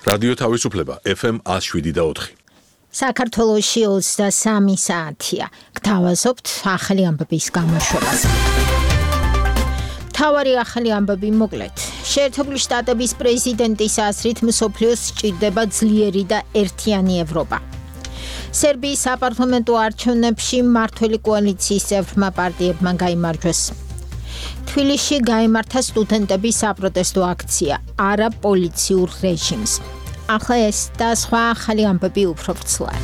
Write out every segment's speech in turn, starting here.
რადიო თავისუფლება FM 107.4. საქართველოში 23 საათია. გთავაზობთ ახალი ამბების გამოშვებას. თავარი ახალი ამბები მოკლედ. შეერთებული შტატების პრეზიდენტის აზრით მსოფლიოს სჭირდება ძლიერი და ერთიანი ევროპა. სერბიის საპარლამენტო არჩევნებში მმართველი კოალიციის წევრმა პარტიებმა გაიმარჯვეს. თბილისში გაიმართა სტუდენტების საპროტესტო აქცია არა პოლიციურ რეჟიმს. ახლა ეს და სხვა ახალი ამბები უფრო ვრცლად.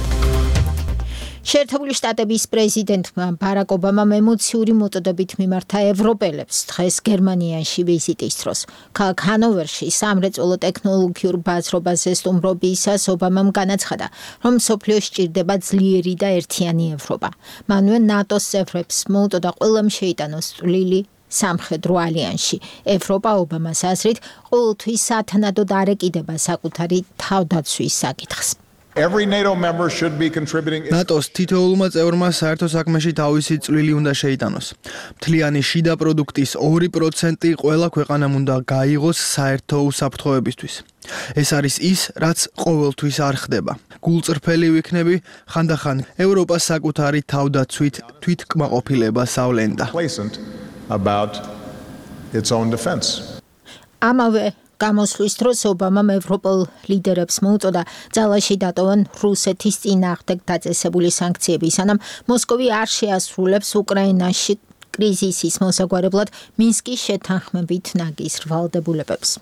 შეერთებული შტატების პრეზიდენტმა ბარაკ ობამამ ემოციური მოტოდებით მიმართა ევროპელებს დღეს გერმანიაში ვიზიტის დროს. ქალაქ ჰანოვერში სამრეწველო ტექნოლოგიურ ბაზრობაზე სტუმრობისას ობამამ განაცხადა, რომ მსოფლიოს სჭირდება ძლიერი და ერთიანი ევროპა. მანვე ნატოს წევრებს მოუტოდა ყველამ შეიტანოს წვლილი სამხედრო ალიანსში. ევროპა ობამას აზრით ყოველთვის სათანადოდ არ ეკიდება საკუთარი თავდაცვის საკითხს. ნატოს თითოეულმა წევრმა საერთო საქმეში თავისი წვლილი უნდა შეიტანოს. მთლიანი შიდა პროდუქტის 2% ყველა ქვეყანამ უნდა გაიღოს საერთო უსაფრთხოებისთვის. ეს არის ის, რაც ყოველთვის არ ხდება. გულწრფელი ვიქნები, ხანდახან ევროპას საკუთარი თავდაცვით თვითკმაყოფილებას ავლენდა. ამავე გამოსვლის დროს ობამამ ევროპელ ლიდერებს მოუწოდა ძალაში დატოვონ რუსეთის წინააღმდეგ დაწესებული სანქციები, სანამ მოსკოვი არ შეასრულებს უკრაინაში კრიზისის მოსაგვარებლად მინსკის შეთანხმებით ნაგის ვალდებულებებს.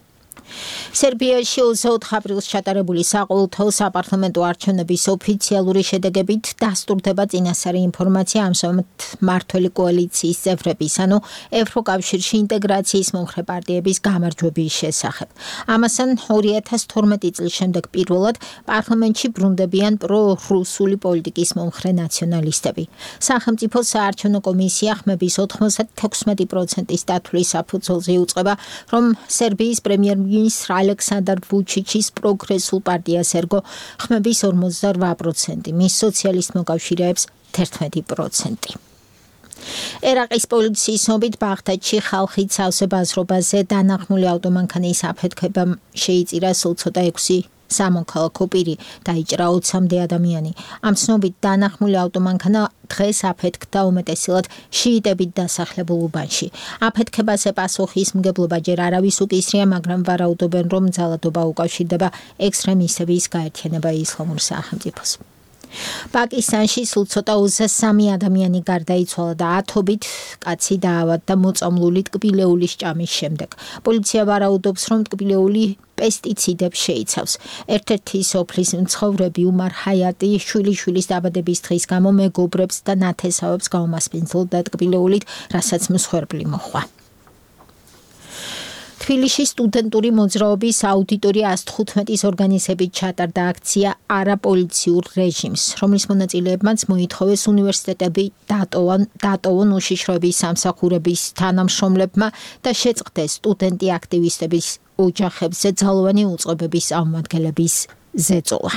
სერბიაში 24 აპრილს ჩატარებული საყოველთაო საპარლამენტო არჩევნების ოფიციალური შედეგებით დასტურდება წინასწარი ინფორმაცია ამჟამად მმართველი კოალიციის წევრების, ანუ ევროკავშირში ინტეგრაციის მომხრე პარტიების გამარჯვების შესახებ. ამასთან 2012 წლის შემდეგ პირველად პარლამენტში ბრუნდებიან პრო-რუსული პოლიტიკის მომხრე ნაციონალისტები. სახელმწიფო საარჩევნო კომისია ხმების 96%-ის დათვლის საფუძველზე იუწყება, რომ სერბიის პრემიერ-მინისტრი ალექსანდრ ვუჩიჩის პროგრესულ პარტიას ერგო ხმების 48%, მის სოციალისტ მოკავშირეებს 11%. ერაყის პოლიციის ცნობით ბაღდადში ხალხით სავსე ბაზრობაზე დანახმული ავტომანქანის აფეთქება შეიწირა სულ ცოტა 6 სამოქალაქო პირი, დაიჭრა 20-მდე ადამიანი. ამ ცნობით დანახმული ავტომანქანა დღეს აფეთქდა უმეტესად შიიტებით დასახლებულ უბანში. აფეთქებაზე პასუხისმგებლობა ჯერ არავის უკისრია, მაგრამ ვარაუდობენ, რომ ძალადობა უკავშირდება ექსტრემისტების გაერთიანება ისლამურ სახელმწიფოს. პაკისტანში სულ ცოტა 23 ადამიანი გარდაიცვალა და ათობით კაცი დაავადდა მოწამლული ტკბილეულის ჭამის შემდეგ. პოლიცია ვარაუდობს, რომ ტკბილეული პესტიციდებს შეიცავს. ერთ-ერთი სოფლის მცხოვრები უმარ ჰაიატი შვილიშვილის დაბადების დღის გამო მეგობრებს და ნათესავებს გაუმასპინძლდა ტკბილეულით, რასაც მსხვერპლი მოჰყვა. თბილისში სტუდენტური მოძრაობის აუდიტორია 115-ის ორგანიზებით ჩატარდა აქცია არა პოლიციურ რეჟიმს, რომლის მონაწილეებმაც მოითხოვეს უნივერსიტეტები დატოვონ უშიშროების სამსახურების თანამშრომლებმა და შეწყდეს სტუდენტი აქტივისტების ოჯახებზე ძალოვანი უწყებების წარმომადგენლების ზეწოლა.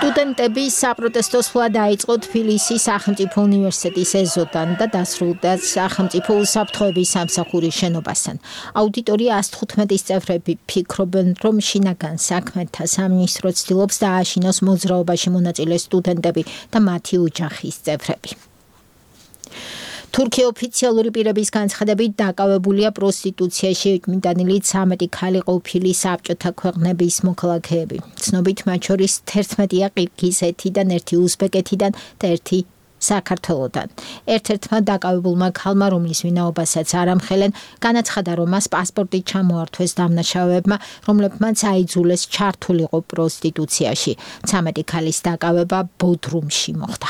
სტუდენტები საპროტესტო სვლა დაიწყო თბილისის სახელმწიფო უნივერსიტეტის ეზოდან და დასრულდა სახელმწიფო უსაფრთხოების სამსახურის შენობასთან. აუდიტორია 115-ის წევრები ფიქრობენ, რომ შინაგან საქმეთა სამინისტრო ცდილობს დააშინოს მოძრაობაში მონაწილე სტუდენტები და მათი ოჯახის წევრები. თურქია ოფიციალური პირების განცხადებით დაკავებულია პროსტიტუციაში ეკმიდანილი 13 ქალი ყოფილი საბჭოთა ქვეყნების მოქალაქეები. ცნობით მათ შორის 11-ია ყირგიზეთიდან, 1 უზბეკეთიდან და 1 საქართველოდან. ერთ-ერთმა დაკავებულმა ქალმა, რომლის ვინაობასაც არ ამხელენ, განაცხადა, რომ მას პასპორტი ჩამოართვეს დამნაშავეებმა, რომლებმაც აიძულეს ჩართულიყო პროსტიტუციაში. 13 ქალის დაკავება ბოდრუმში მოხდა.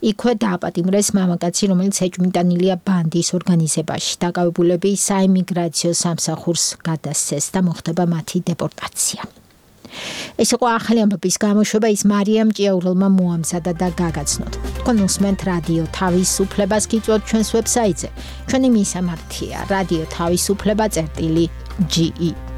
იქვე დააპატიმრეს მამაკაცი, რომელიც ეჭვმიტანილია ბანდის ორგანიზებაში. დაკავებულები საიმიგრაციო სამსახურს გადასცეს და მოხდება მათი დეპორტაცია. ეს იყო ახალი ამბების გამოშვება, ის მარიამ ჭიაურელმა მოამზადა და გაგაცნოთ. თქვენ უსმენთ რადიო თავისუფლებას, გიწვევთ ჩვენს ვებსაიტზე. ჩვენი მისამართია რადიო თავისუფლება.ge